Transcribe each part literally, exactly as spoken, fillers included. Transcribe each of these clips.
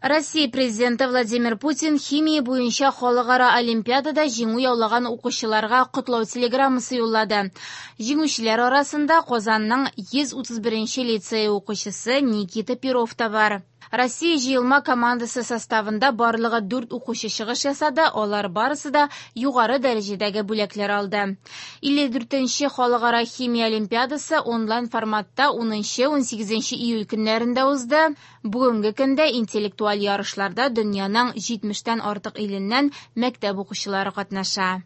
Россия президенты Владимир Путин химия буенча халыкара олимпиадада җиңү яулаган укучыларга котлау телеграммасы юллады. Җиңүчеләр арасында Казанның йөз утыз беренче лицее укучысы Никита Перов та бар. Россия җыелма командасы составында барлыгы дүрт укучы чыгыш ясады, алар барысы да югары дәрәҗәдәге бүләкләр алды. Илле дүртенче халыкара химия олимпиадасы онлайн форматта унынчы, унсигезенче июль көннәрендә узды. Бүгенге көндә интеллектуаль ярышларда дөньяның җитмештән артык иленнән мәктәп укучылары катнаша.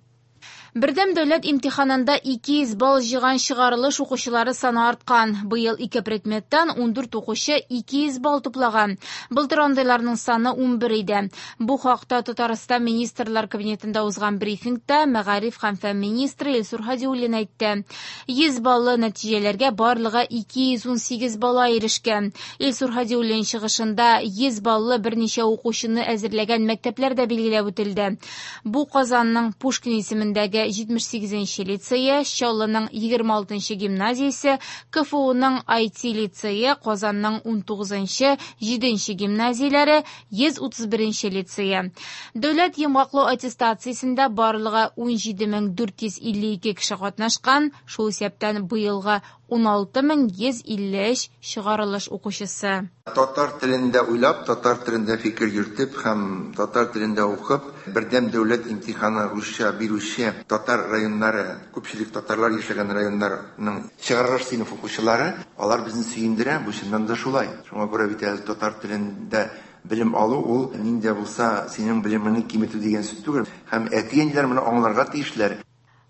Бердәм дәүләт имтиханында ике йөз балл җыйган чыгарылыш укучылары саны арткан. Быел ике предметтан ундүрт укучы ике йөз балл туплаган. Былтыр андыйларның саны унбер иде. Бу хакта Татарстан Министрлар Кабинетында узган брифингта мәгариф һәм фән министры Илсур Һадиуллин әйтте. Йөз баллы нәтиҗәләргә барлыгы ике йөз унсигез бала ирешкән. Илсур Һадиуллин чыгышында йөз баллы берничә укучыны әзерләгән мәктәпләр дә билгеләп үтелде. Бу Казанның Пушкин исемендәге җитмеш сигезенче лицее, Чаллының егерме алтынчы гимназиясе, К Ф Уның ай ти лицее, Казанның унтугызынчы, җиденче гимназияләре, йөз утыз беренче лицее. Дәүләт йомгаклау аттестациясендә барлыгы унҗиде мең дүрт йөз илле ике кеше катнашкан, шул исәптән быелгы уналты мең йөз илле өч чыгарылыш укучысы. Татар телендә уйлап, татар телендә фикер йөртеп һәм татар телендә укып, бердәм дәүләт имтиханы русча бирүче татар районнары, күпчелек татарлар яшәгән районнарның чыгарылыш сыйныф укучылары, алар безне сөендерә, бу чыннан да шулай. Шуңа күрә бит әле татар телендә белем алу ул нинди булса синең белемеңне киметү дигән сүз түгел. Һәм әти-әниләр моны аңларга тиешләр.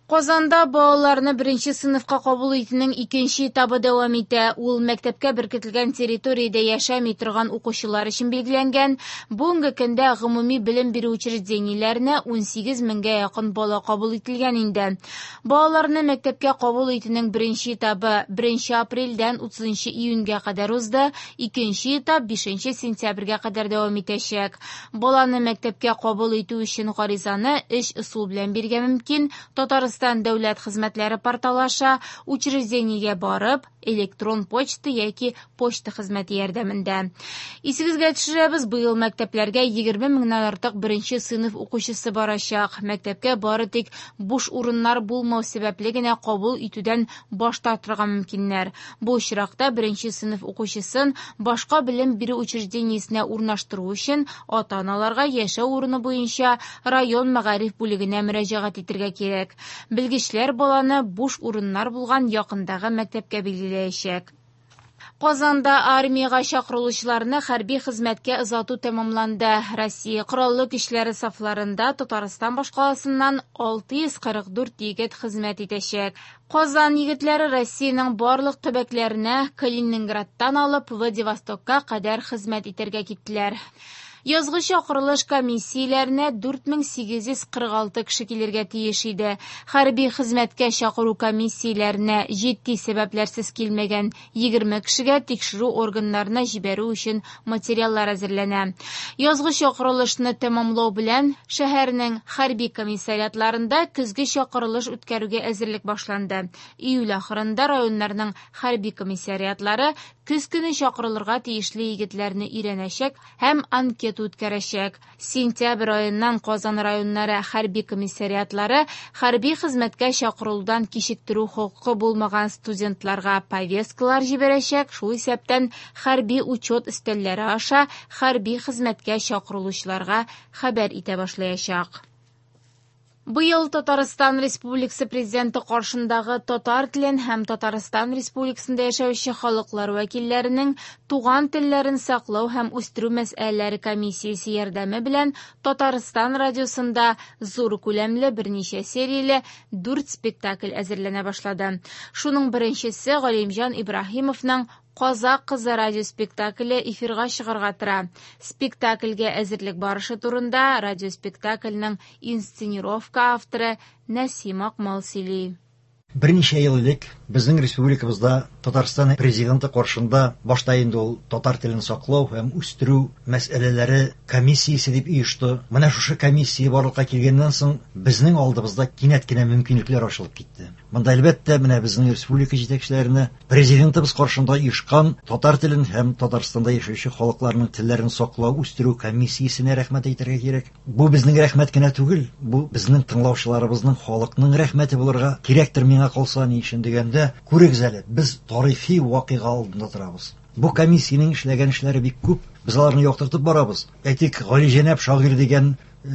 Казанда балаларны беренче сыйныфка кабул итүнең икенче этабы дәвам итә. Ул мәктәпкә беркетелгән территориядә яшәми торган укучылар өчен билгеләнгән. Бүгенге көндә гомуми белем бирү учреждениеләренә унсигез меңгә якын бала кабул ителгән инде. Балаларны мәктәпкә кабул итүнең беренче этабы беренче апрельдән утызынчы июньгә кадәр узды, икенче этап бишенче сентябрьгә кадәр дәвам итәчәк. Баланы мәктәпкә кабул итү өчен гаризаны өч ысул белән бирергә мөмкин. Татарстан дәүләт хезмәтләре порталы аша, учреждениегә барып, электрон почта яки почта хезмәте ярдәмендә. Исегезгә төшерәбез, быел мәктәпләргә егерме меңнән артык беренче сыйныф укучысы барачак. Мәктәпкә бары тик буш урыннар булмау сәбәпле генә кабул итүдән баш тартырга мөмкиннәр. Бу очракта беренче сыйныф укучысын башка белем бирү учреждениесенә урнаштыру өчен ата-аналарга яшәү урыны буенча район мәгариф бүлегенә мөрәҗәгать итәргә кирәк. Белгечләр баланы буш урыннар булган якындагы мәктәпкә билгеләячәк. Казанда армиягә чакырылучыларны хәрби хезмәткә озату тәмамланды. Россия Кораллы көчләре сафларында Татарстан башкаласыннан алты йөз кырык дүрт егет хезмәт итәчәк. Казан егетләре Россиянең барлык төбәкләренә Калининградтан алып Владивостокка кадәр хезмәт итәргә киттеләр. Язгы чакырылыш комиссияләренә дүрт мең сигез йөз кырык алты кеше килергә тиеш иде. Хәрби хезмәткә чакыру комиссияләренә җитди сәбәпләрсез килмәгән егерме кешегә тикшерү органнарына җибәрү өчен материаллар әзерләнә. Язгы чакырылышны тәмамлау белән шәһәрнең хәрби комиссариатларында көзге чакырылыш үткәрүгә әзерлек башланды. Июль ахырында районнарның хәрби комиссариатлары көз көне чакырылырга тиешле егетләрне өйрәнәчәк һәм анкета үткәрәчәк. Сентябрь аеннан Казан районнары хәрби комиссариатлары хәрби хезмәткә чакырылудан кичектерү хокукы булмаган студентларга повесткалар җибәрәчәк, шул исәптән хәрби учет өстәлләре аша хәрби хезмәткә чакырылучыларга хәбәр итә башлаячак. Быел Татарстан Республикасы Президенты каршындагы татар телен һәм Татарстан Республикасында яшәүче халыклар вәкилләренең туган телләрен саклау һәм үстерү мәсьәләләре комиссиясе ярдәме белән Татарстан радиосында зур күләмле берничә серияле дүрт спектакль әзерләнә башлады. Шуның беренчесе Галимҗан Ибраһимовның Казак кызы радиоспектакле эфирга чыгарга тора. Спектакльгә әзерлек барышы турында радиоспектакльнең инсценировка авторы Нәсим Акмал сөйли. Берничә ел элек безнең республикабызда Татарстан президенты каршында башта инде ул татар телен саклау һәм үстерү мәсьәләләре комиссиясе дип оешты. Менә шушы комиссия барлыкка килгәннән соң безнең алдыбызда кинәт кенә мөмкинлекләр ачылып китте. Монда әлбәттә менә безнең республика җитәкчеләренә, президентыбыз каршында оешкан татар телен һәм Татарстанда яшәүче халыкларның телләрен саклау, үстерү комиссиясенә рәхмәт әйтергә кирәк. Бу безнең рәхмәт кенә түгел, бу безнең тыңлаучыларыбызның, халыкның рәхмәте булырга кирәктер миңа калса, ни өчен дигәндә, күрегез әле, без тарихи вакыйга алдында торабыз. Бу комиссиянең эшләгән эшләре бик күп, без аларны яктыртып барабыз. Әйтик, Галиҗәнәп шагыйрь дигән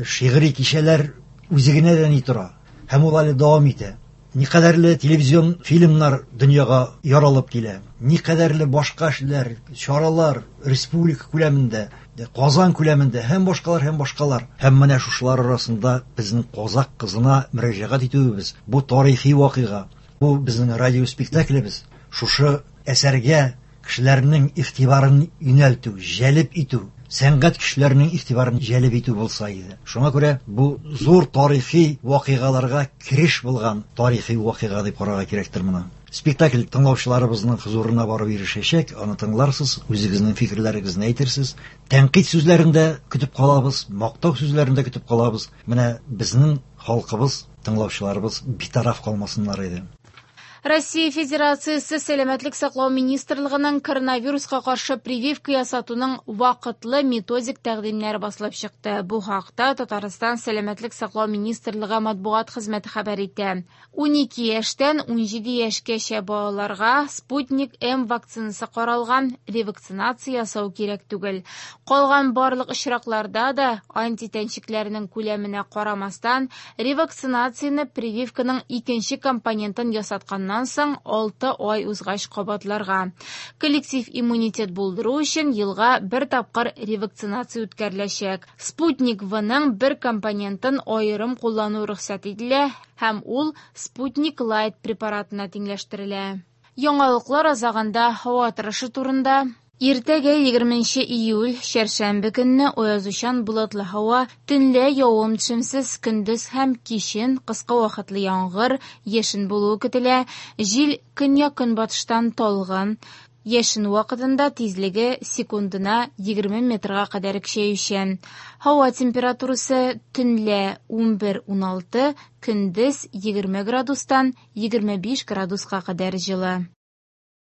шигъри кичәләр үзе генә дә ни тора, һәм ул әле дәвам итә. Никадәрле телевизион фильмнар дөньяга яралып килә, никадәрле башка эшләр, чаралар республика күләмендә, Казан күләмендә һәм башкалар һәм башкалар. Һәм менә шушылар арасында безнең казак кызына мөрәҗәгать итүебез, бу тарихи вакыйга, бу безнең радио спектаклебез, шушы әсәргә кешеләрнең игътибарын юнәлтү, җәлеп итү, сәнгать кешеләренең игътибарын җәлеп итү булса иде. Шуңа күрә бу зур тарихи вакыйгаларга кереш булган тарихи вакыйга дип карарга кирәктер моны. Спектакль тыңлаучыларыбызның хозурына барып ирешәчәк, аны тыңларсыз, үзегезнең фикерләрегезне әйтерсез. Тәнкыйть сүзләрен дә көтеп калабыз, мактау сүзләрен дә көтеп калабыз. Менә безнең халкыбыз, тыңлаучыларыбыз битараф калмасыннар иде. Россия Федерациясе Сәламәтлек саклау министрлыгының коронавируска каршы прививка ясатуның вакытлы методик тәкъдимнәре басылып чыкты. Бу хакта Татарстан Сәламәтлек саклау министрлыгы матбугат хезмәте хәбәр итә. Унике яшьтән унҗиде яшькәчә балаларга Спутник М вакцинасы каралган, ревакцинация ясау кирәк түгел. Калган барлык очракларда да антитәнчекләрнең күләменә карамастан, ревакцинацияне прививканың икенче компонентын ясатканнан соң алты ай узгач кабатларга. Коллектив иммунитет булдыру өчен елга бер тапкыр ревакцинация үткәреләчәк. Спутник В-ның бер компонентын аерым куллану рөхсәт ителә һәм ул Спутник Лайт препаратына тиңләштерелә. Яңалыклар азагында һава торышы турында. Иртәгә егерменче июль, чәршәмбе көнне аязучан болытлы һава, төнлә явым-төшемсез, көндез һәм кичен кыска вакытлы яңгыр, яшен булуы көтелә. Җил көньяк-көнбатыштан талгын, яшен вакытында тизлеге секундына егерме метрга кадәр көчәючән. Һава температурасы төнлә унбер уналты, көндез егерме градустан егерме биш градуска кадәр җылы.